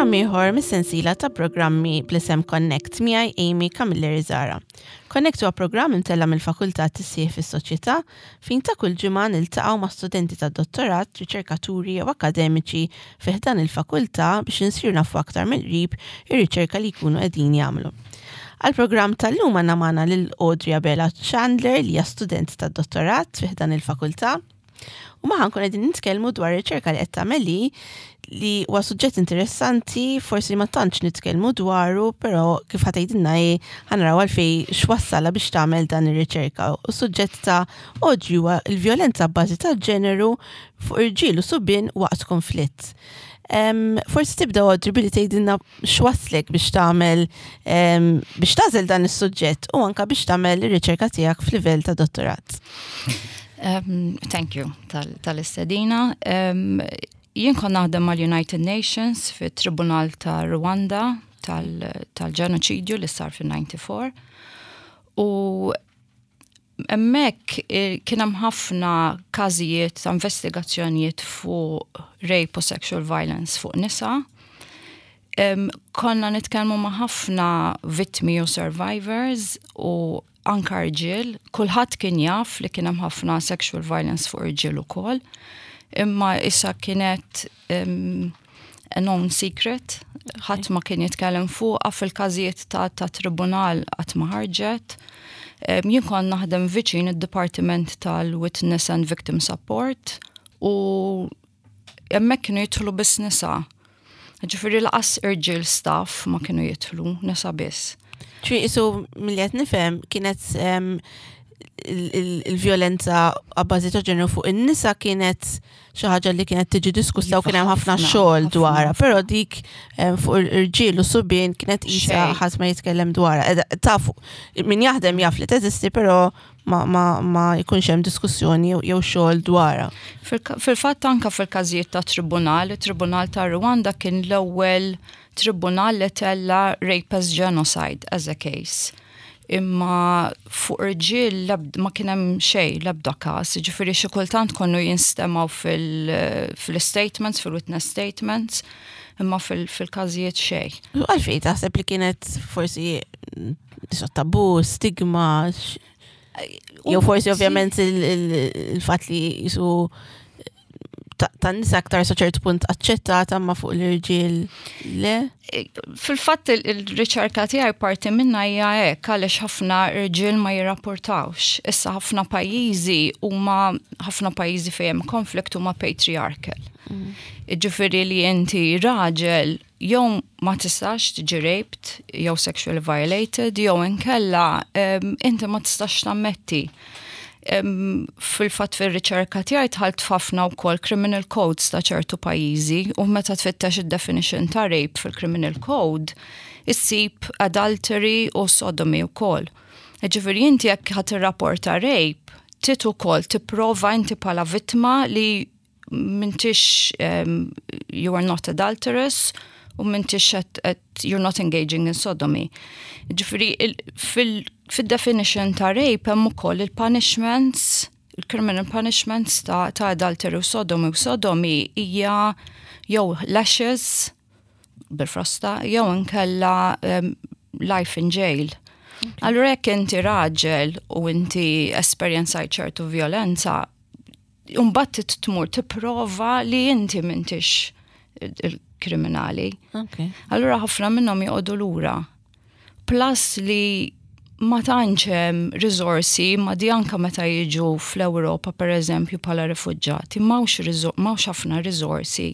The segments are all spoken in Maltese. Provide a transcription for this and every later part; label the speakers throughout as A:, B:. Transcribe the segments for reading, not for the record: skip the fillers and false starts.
A: programm ieħor mis-sensiela ta' programmi bl-isem Connect miegħi Amy Camilleri Zara. Connect huwa programm imtella' mill-Fakultà Tisħiħ fis-Soċjetà fejn ta' kull ġimgħa niltaqgħu ma' studenti tad-dottorat, riċerkaturi jew akkademiċi fi ħdan il-fakultà biex insiru nafu aktar mill-qrib ir-riċerka li jkunu qegħdin jagħmlu. Għall-programm tal-lum għandna magħna lil Audrey Abela Chandler li hija student tad-dottorat fi ħdan il-fakultà. U maħan kun qegħdin nitkellmu dwar riċerka li qed tagħmel li li huwa suġġett interessanti, forsi ma tantx nitkellmu dwaru, però kif ħa tgħidilna hi ħanaraw għalfej x'wassalha biex tagħmel dan ir-riċerka. U suġġett ta' Audrey huwa l-vjolenza bbażi ta' ġeneru fuq irġiel u subien waqt konflitt. Forsi tibda Audrey billi tgħidilna x'wasslek biex tagħmel biex tagħżel dan is-suġġett u anka biex tagħmel ir-riċerka tiegħek f'livell ta' dottorat.
B: Thank you tal-istedina. Um, jien kon naħdem mal-United Nations fit-Tribunal ta' Rwanda tal-ġenoċidju li sar fin-94 u Hemmhekk kien hemm ħafna każijiet ta' investigazzjonijiet fuq rape u sexual violence fuq nisa. Konna nitkellmu ma' ħafna vittmi u survivors u anka rġiel, kulħadd kien jaf li kien hemm ħafna sexual violence fuq irġiel ukoll. Imma issa kienet a known secret, ħadd ma kien jitkellem fuqha fil-każijiet ta', ta tribunal qatt ma ħarġet. Jien kont naħdem viċin id-Dipartiment tal-Witness and Victim Support u hemmhekk kienu jidħlu biss nisa. Ġifieri laqas irġiel staff ma kienu jidħlu, nisa biss.
A: Ċi isu milli qed nifhem kienet il-vjolenza għabbażi ta' ġeneru fuq in-nisa kienet xi ħaġa li kienet tiġi diskussa u kien hemm ħafna xogħol dwarha, però dik eh, fuq irġiel u subien kienet qisha ħadd ma jitkellem dwarha. Tafu, min jaħdem jaf li teżisti, però ma, ma, ma jkunx hemm diskussjoni jew xogħol dwarha.
B: Fil-fatt anka fil-każijiet ta' tribunal, it-Tribunal ta' Rwanda kien l-ewwel tribunal li tella rape as genocide as a case imma fuq irġiel ma kien hemm xejn l-ebda każ, jiġifieri xi kultant konnu jinstemgħu fil-statements, fil-witness statements, imma fil-każijiet xejn.
A: Għalfejn taħseb li kienet forsi tabu, stigma, jew forsi ovvjament il-fatt li jisu tan-nisa aktar sa ċertu punt aċċettata ma fuq l-irġiel le?
B: E, fil-fatt il-riċerka tiegħi parti minna hija hekk għaliex ħafna irġiel ma jirrapportawx. Issa ħafna pajjiżi huma ħafna pajjiżi fejn hemm konflikt huma patriarchal. Mm. Ġifieri li inti raġel jew ma tistax tiġi raped, jew sexually violated, jew inkella inti ma tistax tammetti. Fil-fatt fir-riċerka tiegħi dħalt f'ħafna wkoll criminal codes ta' ċertu pajjiżi u meta tfittex id-definition ta' rape fil-criminal code, issib adultery u sodomy wkoll. Ġifieri inti jekk ħadd irrapporta rape, trid ukoll tipprova inti bħala vittma li m'intix um, you are not adulterous u m'intix at, you're not engaging in sodomy. Ġifieri fil-definition ta' rape hemm ukoll il-punishments, il-criminal punishments ta', ta adultery u sodomy u sodomy hija jew lashes bil-frosta jew inkella um, life in jail. Allura jekk inti raġel u inti esperjenzajt ċertu violenza, Umbat tmur tipprova li inti m'intix il-kriminali. Allura ħafna minnhom joqogħdu lura. Plus li ma tantx hemm riżorsi ma di anka meta jiġu fl-Ewropa pereżempju bħala rifuġġati, m'hawnx ħafna riżorsi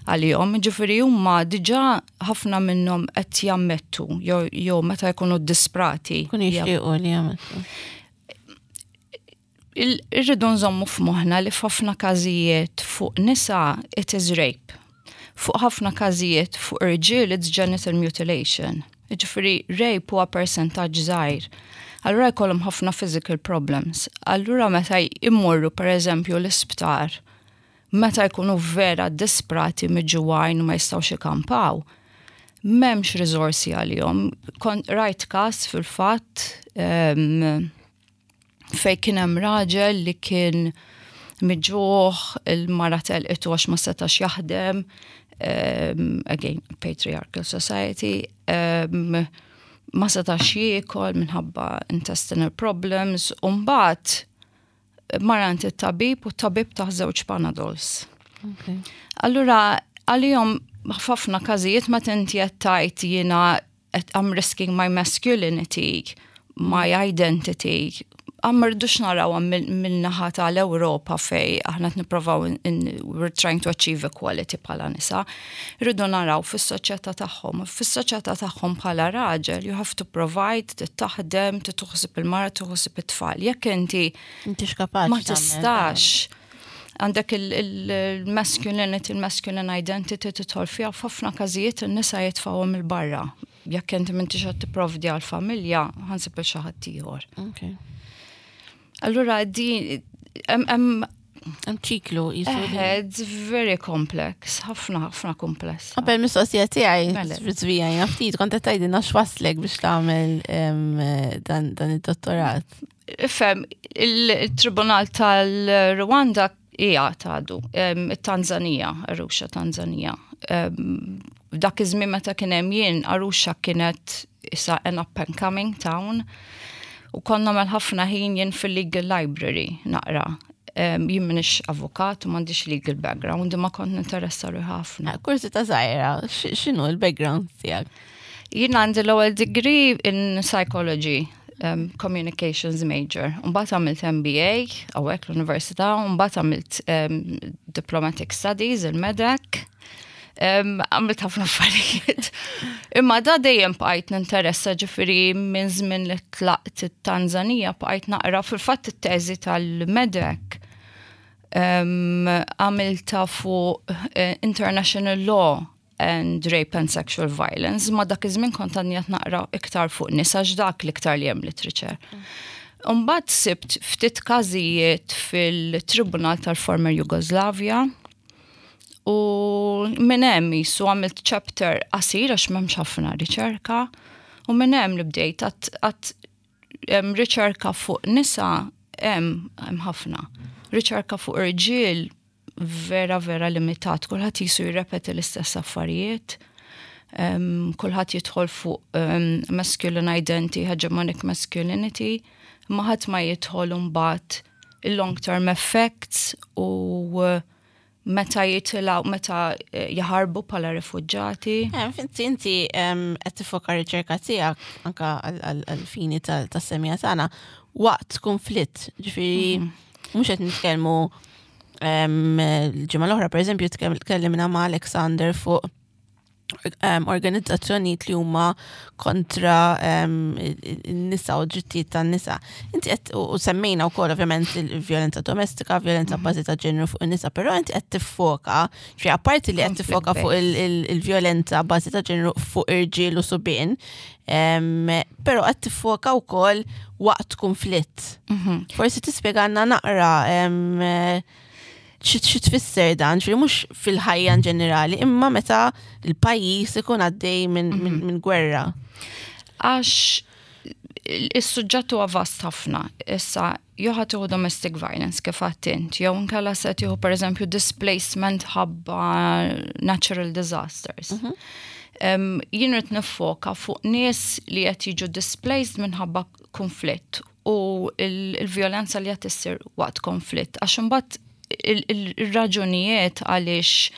B: għalihom, ġifieri huma diġà ħafna minnhom qed jammettu jew meta jkunu disprati.
A: Kun jixtiequ li jammettu.
B: Irridu nżommu f'moħħna li f'ħafna każijiet fuq nisa it is rape. Fuq ħafna każijiet fuq irġiel it's genital mutilation. Ġifieri rape huwa persentaġġ żgħir. Allura jkollhom ħafna physical problems. Allura meta jmorru pereżempju l-isptar, meta jkunu vera disprati miġugħin u ma jistgħux ikampaw, m'hemmx riżorsi għalihom. Kont rajt każ fil-fatt um, fej kien hemm raġel li kien miġuħ, il-mara telqitu għax ma setax jaħdem. Again, patriarchal society. Ma setax jiekol minħabba intestinal problems u mbagħad mar għand it-tabib u t-tabib tah żewġ Panadols. Allura għalihom f'ħafna każijiet meta inti qed tgħid jiena I'm risking my masculinity, my identity, ma rridux naraw mill-naħa tal-Ewropa fej aħna qed we're trying to achieve equality bħala nisa. Rridu naraw fis-soċjetà tagħhom. Fis-soċjetà tagħhom bħala raġel, you have to provide, taħdem, tieħu ħsieb il-mara, tieħu ħsieb it-tfal. Jekk inti
A: ma
B: tistax għandek il-masculinity, il-masculine identity tidħol fiha f'ħafna każijiet in-nisa jitfgħuhom 'il barra. Jekk inti m'intix qed tipprovdi għall-familja, ħa nsib xi ħadd ieħor. Allura di
A: hemm ċiklu
B: jisu. It's very complex, ħafna ħafna kompless.
A: Qabel mistoqsija tiegħi, mela. żvijajna ftit kont qed tgħidilna x'waslek biex tagħmel dan id-dottorat.
B: Ifhem, il-Tribunal tal-Rwanda hija tgħadu, it-Tanzania, Arusha Tanzania. Dak iż-żmien meta kien hemm jien, Arusha kienet issa an up and coming town. U konna mal ħafna ħin jien fil-legal library naqra. Jien minix avukat u m'għandix legal background, imma kont ninteressa ruħi ħafna.
A: Kurżità żgħira, x'inhu l-background tiegħek?
B: Jien għandi l-ewwel degree in psychology, communications major. Mbagħad għamilt MBA hawnhekk l-università, mbagħad għamilt diplomatic studies, il-MEDEC. Għamilt ħafna affarijiet. Imma da dejjem bqajt ninteressa ġifieri minn żmien li tlaqt it-Tanzania bqajt naqra fil-fatt it-teżi tal-MEDEC għamilta fuq international law and rape and sexual violence, ma dak iż-żmien kont għadni qed naqra iktar fuq nisa x'dak l-iktar li hemm literature. Mbagħad sibt ftit każijiet fil-Tribunal tal-former Jugoslavia u minn hemm jisu għamilt chapter qasir għax m'hemmx ħafna riċerka u minn hemm li bdejt għat riċerka fuq nisa hemm ħafna. Riċerka fuq irġiel vera vera limitat, kulħadd jisu jirrepeti l-istess affarijiet. Kulħadd jidħol fuq masculine identity, hegemonic masculinity, ma ħadd ma jidħol mbagħad il-long term effects u meta jitilgħu, meta jaħarbu bħala rifugġati.
A: Inti qed tifoka riċerka tiegħek anka għal-fini tas-semija tagħna waqt konflitt, ġifieri mhux qed nitkellmu l-ġimgħa l-oħra pereżempju tkellimna ma' Alexander fuq organizzazzjonijiet li huma kontra n-nisa u drittijiet tan-nisa. Inti qed u semmejna wkoll ovvjament il-vjolenza domestika, vjolenza bażi ta' ġeneru fuq in-nisa, però inti qed tiffoka, ġifieri apparti li qed tiffoka fuq il-vjolenza bażi ta' ġeneru fuq irġiel u subien, però qed tiffoka wkoll waqt konflitt. Forsi tispjegalna naqra xi tfisser dan, ġifieri mhux fil-ħajja in ġenerali, imma meta l-pajjiż ikun għaddej minn gwerra.
B: Għax is-suġġett huwa vast ħafna. Issa, jew ħa tieħu domestic violence kif għedt, jew inkella se tieħu pereżempju displacement ħabba natural disasters. Jien rrid nifoka fuq nies li qed jiġu displaced minħabba konflitt u il-vjolenza li qed issir waqt konflitt. Għax imbagħad il-raġunijiet għaliex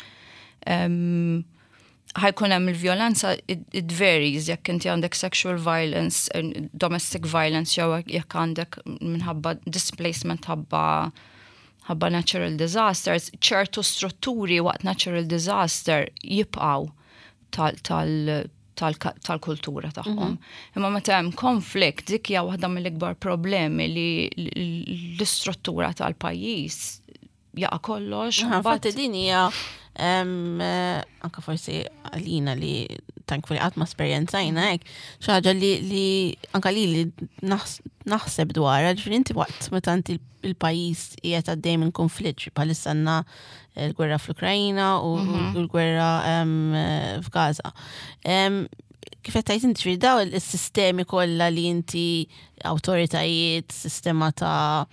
B: ħa jkun hemm il-vjolenza it varies jekk inti għandek sexual violence, domestic violence jew jekk għandek minħabba displacement ħabba natural disasters, ċertu strutturi waqt natural disaster jibqaw tal-kultura tagħhom. Imma meta hemm konflikt dik hija waħda mill-ikbar problemi li l-istruttura tal-pajjiż jaqa' kollox.
A: Infatti din hija anka forsi għalina li thankfully qatt ma esperjenzajna hekk, xi ħaġa li anka li naħseb dwarha, ġifieri inti waqt meta inti il-pajjiż qiegħed għaddej minn konflitt, bħalissa għandna l-gwerra fl-Ukrajina u l-gwerra f'Gaza. Kif qed tgħid inti daw is-sistemi kollha li inti awtoritajiet, sistema ta'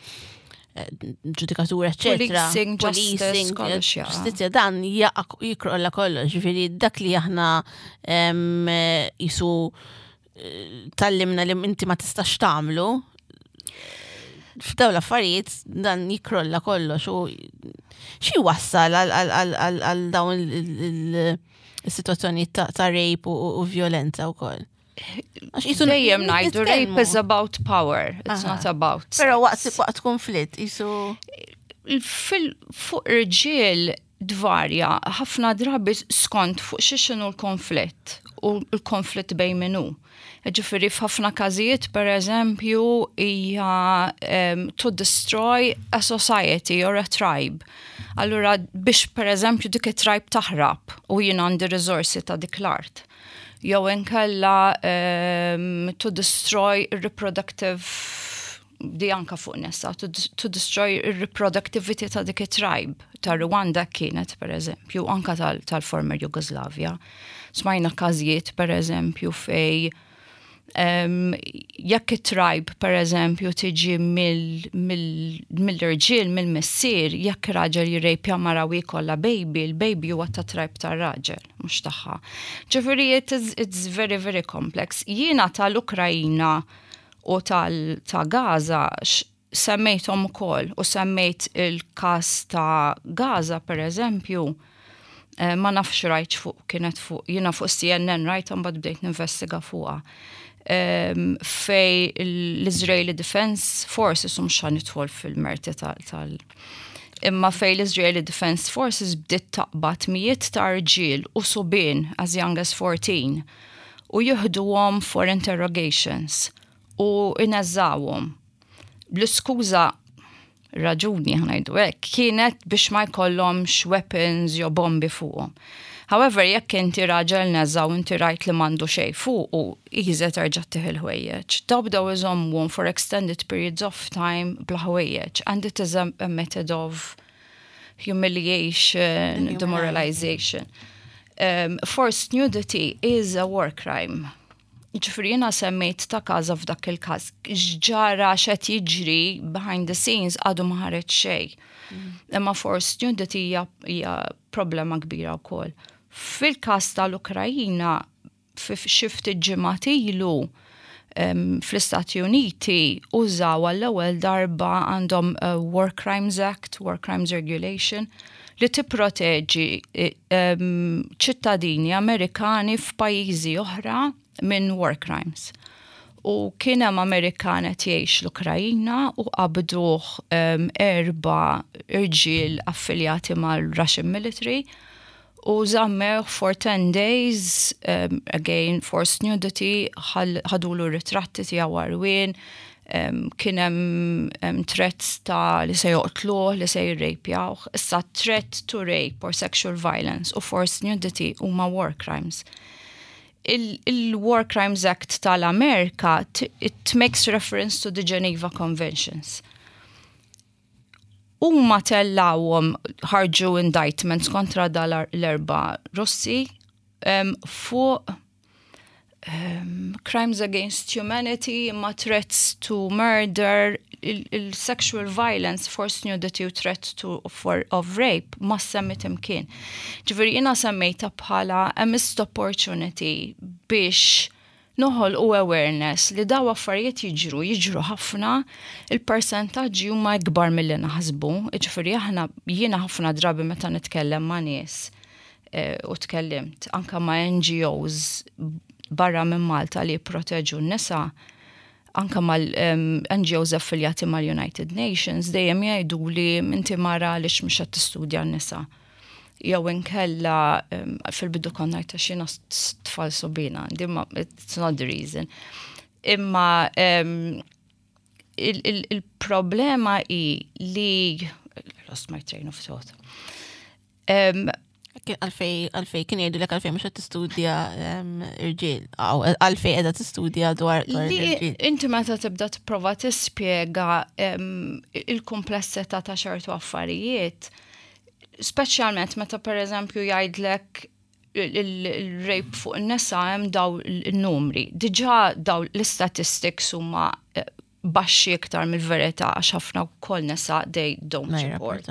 A: ġudikatura, eccetera.
B: Policing, justice, kollox jaqa'.
A: Ġustizzja dan jaqa' jikrolla kollox, ġifieri dak li aħna jisu tallimna li inti ma tistax tagħmlu f'dawn l-affarijiet dan jikrolla kollox u xi wassal għal dawn il-sitwazzjoni ta' rape u violenza wkoll.
B: Għax jisu dejjem ngħidu rape is about power, it's not about.
A: Però waqt waqt konflitt jisu
B: fuq irġiel dvarja ħafna drabi skont fuq xi x'inhu l-konflitt u l-konflitt bejn min hu. Ġifieri f'ħafna każijiet pereżempju hija to destroy a society or a tribe. Allura biex pereżempju dik it-tribe taħrab u jien għandi riżorsi ta' dik l-art. Jew inkella to destroy reproductive di anka fuq nisa, to, to destroy reproductivity ta' dik it-tribe ta' Rwanda kienet per eżempju, anka tal-former tal Jugoslavia. Smajna każijiet per eżempju fej jekk it-tribe per eżempju tiġi mill-irġiel, mill-missier, jekk raġel jirrejpja mara u jkollha baby, il-baby huwa ta' tribe tar-raġel, mhux tagħha. Ġifieri it's very very complex. Jiena tal-Ukrajina u tal ta' Gaza semmejthom ukoll u semmejt il-każ ta' Gaza per eżempju, eh, ma nafx rajt fuq kienet fuq jiena fuq CNN rajt mbagħad bdejt ninvestiga fuqha. Um, fej l-Israeli Defense Forces u mhux nidħol fil-merti tal imma fej l-Israeli Defense Forces bdiet taqbad mijiet ta' rġiel u subien as young as 14 u jieħduhom for interrogations u ineżżawhom. Bl-iskuża raġuni ħa ngħidu hekk kienet biex ma jkollhomx weapons jew bombi fuqhom. However, jekk inti raġel neża u inti rajt li m'għandu xejn fuq u easy terġa' ttih il-ħwejjeġ. Daw bdew iżommuhom for extended periods of time bla ħwejjeġ and it is a, a method of humiliation, demoralization. Forced nudity is a war crime. Ġifieri jiena semmejt ta' Gaza f'dak il-każ. X'ġara x'qed jiġri behind the scenes għadu ma ħareġ xejn. Imma forced nudity hija problema kbira wkoll. Fil-każ tal-Ukrajina, xi ftit ġimgħat ilu fl-Istati Uniti użaw għall-ewwel darba għandhom War Crimes Act, War Crimes Regulation, li tipproteġi ċittadini Amerikani f'pajjiżi oħra minn war crimes. U kien hemm Amerikan qed jgħix l-Ukrajina u qabduh erba' irġiel affiljati mal-Russian military u żammewh for 10 days, again forced nudity, ħadulu ritratti tiegħu għarwien, kien hemm threats ta' li se joqtluh, li se jirrejpjawh. Issa threat to rape or sexual violence u forced nudity huma war crimes. Il-War Crimes Act tal-Amerika, it makes reference to the Geneva Conventions. Huma tellawhom ħarġu indictments kontra dal l-erba' Russi fuq crimes against humanity, ma threats to murder, il-sexual violence, forced nudity u threat to, for, of rape ma semmit imkien. Ġifieri jiena semmejta bħala a missed opportunity biex noħolqu awareness li daw affarijiet jiġru, jiġru ħafna, il-persentaġġi huma ikbar milli naħsbu. Ġifieri aħna jiena ħafna drabi meta nitkellem ma' nies u tkellimt anka ma' NGOs barra minn Malta li jipproteġu n-nisa, anka mal-NGOs affiljati mal-United Nations, dejjem jgħidu li inti mara għaliex mhux qed tistudja n-nisa. Jew inkella fil-bidu konna ngħid għax jiena tfal subina, di ma it's not the reason. Imma il-problema hi li lost my train of thought.
A: Għalfej kien jgħidu lek għalfej mhux qed tistudja irġiel, għalfej qiegħda tistudja dwar
B: irġiel. Inti meta tibda tipprova tispjega il-kumplessità ta' ċertu affarijiet, speċjalment meta pereżempju jgħidlek il-rape fuq in-nisa hemm daw il-numri. Diġà daw l-statistics huma baxxi iktar mill-verità għax ħafna wkoll nisa they don't report.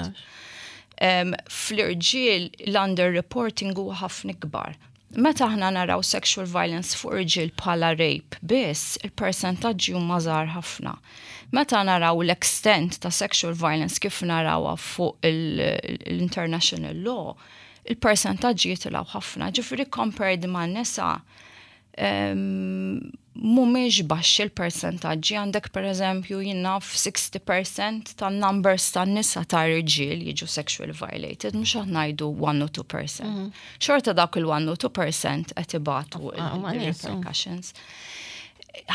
B: Fl-irġiel l-underreporting huwa ħafna ikbar. Meta aħna naraw sexual violence fuq irġiel bħala rape biss, il-persentaġġi huma żgħar ħafna. Meta naraw l-extent ta' sexual violence kif narawha fuq l-international law, il-persentaġġi jitilgħu ħafna. Ġifieri compared ma' nisa, mhumiex baxxi l-persentaġġi. Għandek, per eżempju, jien naf, 60% tan-numbers tan-nisa ta' irġiel jiġu sexually violated, mhux aħna ngħidu 1 u 2%. Xorta dak il-1 u 2% qed ibatu il-repercussions.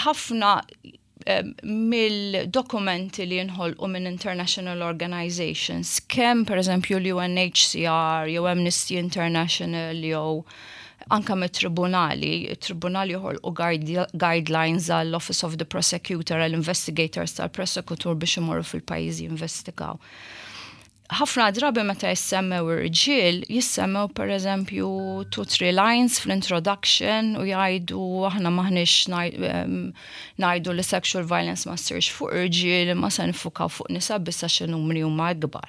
B: Ħafna mill-dokumenti li jinħolqu minn international organizations, kemm per eżempju l-UNHCR, jew Amnesty International, jew anka mit-tribunali, il-tribunali joħolqu guidelines għall-Office of the Prosecutor, għall-investigators tal-prosekutur biex imorru fil-pajjiżi jinvestigaw. Ħafna drabi meta jissemmew irġiel, jissemmew per eżempju two, three lines fl-introduction u jgħidu aħna m'aħniex ngħidu li sexual violence ma ssirx fuq irġiel, ma se nifukaw fuq nisa biss għax numri huma akbar.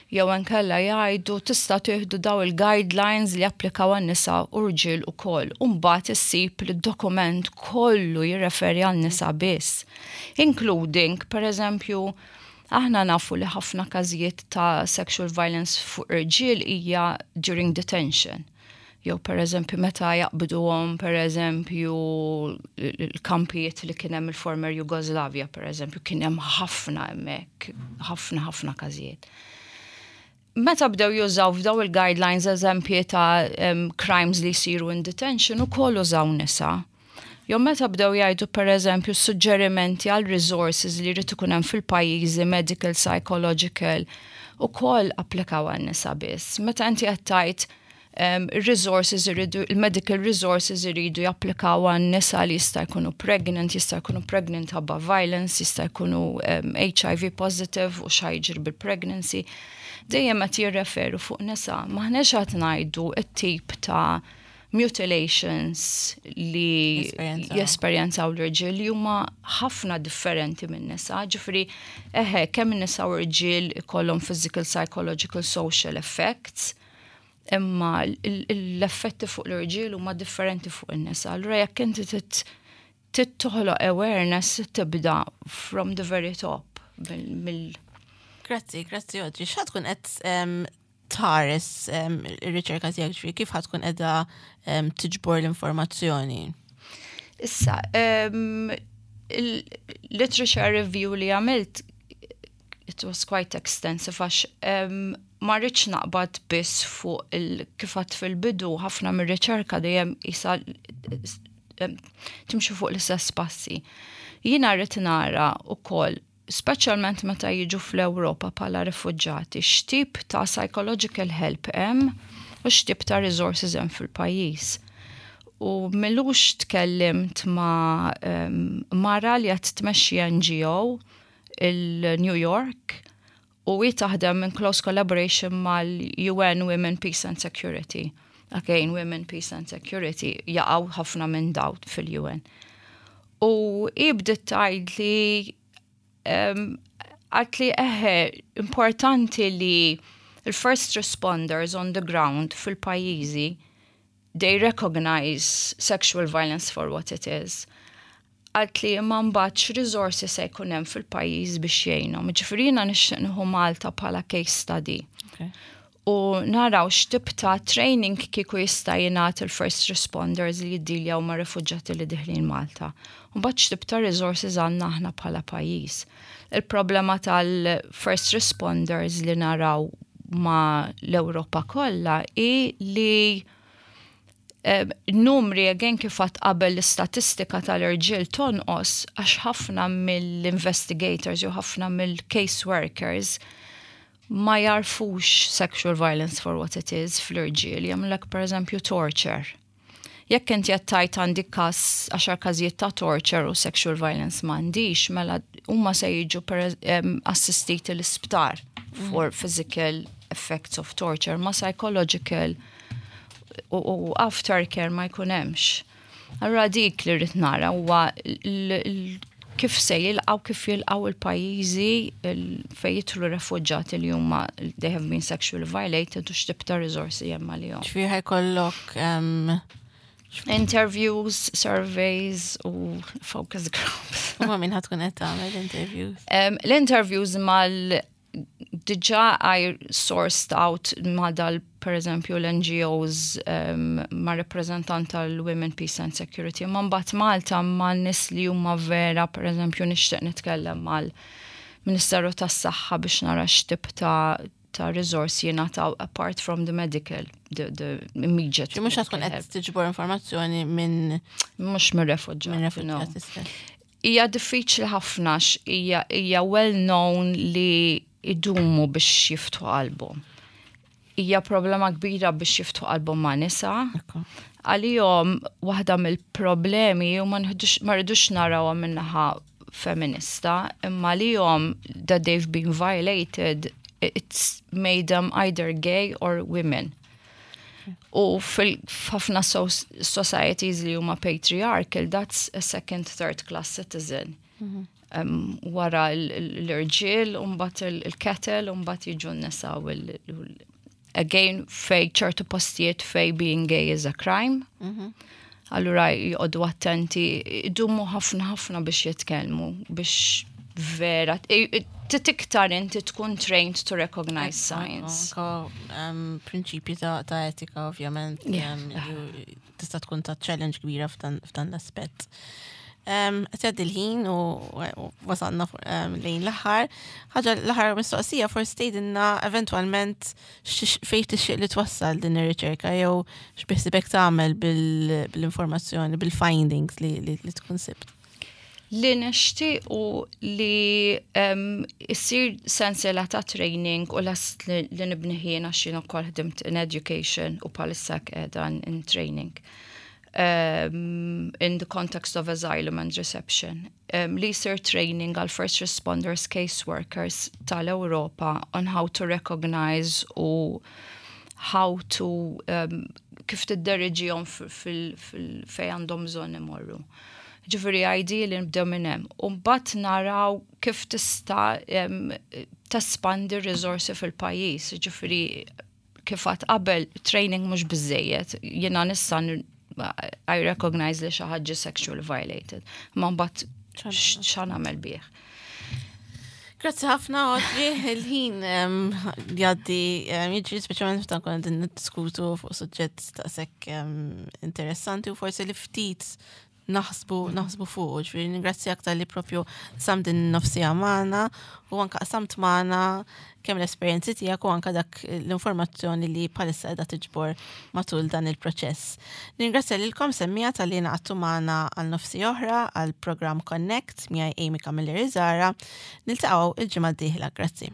B: Jew inkella jgħidu tista' tieħdu daw il-guidelines li applikaw għan-nisa u rġiel ukoll. U mbagħad issib li d-dokument kollu jirreferi għan-nisa biss. Including, per eżempju, aħna nafu li ħafna każijiet ta' sexual violence fuq irġiel hija during detention. Jew per eżempju meta jaqbduhom, per eżempju, l-kampijiet li kien hemm il-former Jugoslavia, per eżempju, kien hemm ħafna hemmhekk, ħafna ħafna każijiet. Meta bdew jużaw f'daw il-guidelines eżempji ta' crimes li jsiru in detention, ukoll użaw nisa. Jew meta bdew jgħidu, per eżempju, suġġerimenti għal resources li jrid ikun hemm fil-pajjiżi, medical, psychological, ukoll applikaw għal nisa biss. Meta inti qed tgħid resources iridu, il-medical resources iridu japplikaw għan nisa li jista' jkunu pregnant, jista' jkunu pregnant ħabba violence, jista' jkunu HIV positive u x'ħa jiġri bil-pregnancy. Dejjem qed jirreferu fuq nisa. M'aħniex qed ngħidu t-tip ta' mutilations li jesperjenzaw l-irġiel li huma ħafna differenti minn nisa. Ġifieri, eħe, kemm nisa u rġiel ikollhom physical, psychological, social effects, imma l-effetti fuq l-irġiel huma differenti fuq in-nisa. Allura jekk inti trid toħloq awareness, tibda from the very top. Mill
A: Grazzi, grazzi, Audrey. X'ħa tkun qed tħares ir-riċerka tiegħek, ġifieri kif ħa tkun qiegħda tiġbor l-informazzjoni?
B: Issa, il-literature review li għamilt, it was quite extensive għax ma rridx naqbad biss fuq kif għedt fil-bidu, ħafna mir-riċerka dejjem isa timxu fuq l-istess passi. Jiena rrid nara ukoll, speċjalment meta jiġu fl-Ewropa bħala rifuġġati, x'tip ta' psychological help hemm u x'tip ta' resources hemm fil-pajjiż. U m'ilux tkellimt ma' mara li qed tmexxi NGO il-New York u hi taħdem in close collaboration mal-UN Women, Peace and Security. Again, Women, Peace and Security jaqgħu ħafna minn daw fil-UN. U hi bdiet tgħid li għat li eħe importanti li il-first responders on the ground fil-pajjiżi, they recognize sexual violence for what it is. Għalt li ma mbagħadx resources se jkun hemm fil-pajjiż biex jgħinhom. Ġifieri jiena nixtieq nieħu Malta bħala case study. U naraw x'tip ta' training kieku jista' jingħat il-first responders li jiddiljaw ma' rifuġġati li deħlin Malta. U mbagħad x'tip ta' resources għandna aħna bħala pajjiż. Il-problema tal-first responders li naraw ma' l-Ewropa kollha hi li numri, again, kif għedt qabel, l-istatistika tal-irġiel tonqos għax ħafna mill-investigators jew ħafna mill-case workers ma jarfux sexual violence for what it is fl-irġiel, jagħmlek per eżempju torture. Jekk inti qed tgħid għandi każ, 10 każijiet ta' torture u sexual violence m'għandix, mela huma se jiġu assistiti l-isptar for physical effects of torture, ma psychological u aftercare ma jkun hemmx. Allura dik li rrid nara huwa Kif se jilqgħu, kif jilqgħu il-pajjiżi fejn jidħlu refuġġati li huma they have been sexually violated u x'tip ta' riżorsi hemm għalihom.
A: Ġifieri ħa jkollok
B: Interviews, surveys u focus groups.
A: U ma' min ħa tkun qed tagħmel interviews?
B: L-interviews mal diġà I sourced out ma dal per eżempju l-NGOs ma' rappresentant tal-Women Peace and Security. Ma mbagħad Malta ma' nies li huma vera, per eżempju nixtieq nitkellem mal-Ministeru tas-Saħħa biex nara x'tip ta' resource jingħataw apart from the medical, the immediate.
A: Mhux tkun qed tiġbor informazzjoni minn
B: Mhux mir-refuġġati.
A: Minn refuġġati stess.
B: Hija diffiċli ħafna, hija well known li idumu biex jiftħu qalbhom. Hija problema kbira biex jiftħu qalbhom ma' nisa. Għalihom waħda mill-problemi u ma rridux narawha min-naħa feminista, imma għalihom that they've been violated, it's made them either gay or women. U f'ħafna societies li huma patriarchal, that's a second, third class citizen. Wara l-irġiel, mbagħad il-cattle, mbagħad jiġu n-nisa u again, fej ċertu postijiet fej being gay is a crime. Allura joqogħdu attenti, idumu ħafna ħafna biex jitkellmu, biex vera, tiktar inti tkun trained to recognize signs.
A: Anka prinċipji ta' etika, ovvjament, tista' tkun ta' challenge kbira f'dan l-aspett. Qed jgħaddi l-ħin u wasalna lejn l-aħħar. Ħaġa l-aħħar mistoqsija, forsi tgħidilna eventwalment fejn tixtieq li twassal din ir-riċerka jew x'biħsibek tagħmel bil-informazzjoni, bil-findings li tkun sibt.
B: Li nixtieq u li issir sensiela ta' training u last li nibni ħin għax jien ukoll ħdimt in education u bħalissa qiegħda in training. In the context of asylum and reception. Li jsir training għal first responders, case workers tal-Europa on how to recognize u how to kif tidderiġihom fej għandhom bżonn imorru. Ġifieri ideally nibdew minn hemm. U mbagħad naraw kif tista' tespandi r-riżorsi fil-pajjiż. Ġifieri kif għad qabel training mhux biżejjed. Jiena nista' I recognize li xi ħadd sexually violated. Ma mbagħad x'ħa nagħmel bih.
A: Grazzi ħafna, Audrey, il-ħin jgħaddi jiġri, speċjalment meta nkunu qegħdin niddiskutu fuq suġġett daqshekk interessanti u forsi li ftit naħsbu fuq. Ġifieri ningrazzjak talli propju qsamt din nofs siegħa magħna u anka qsamt magħna kemm l-esperjenzi tiegħek u anka dak l-informazzjoni li bħalissa qiegħda tiġbor matul dan il-proċess. Ningrazzja lilkom semmiegħa talli ngħaqadtu magħna għal nofs siegħa oħra għal programm Connect miegħi Amy Camilleri Zara. Niltaqgħu il-ġimgħa d-dieħla. Grazzi.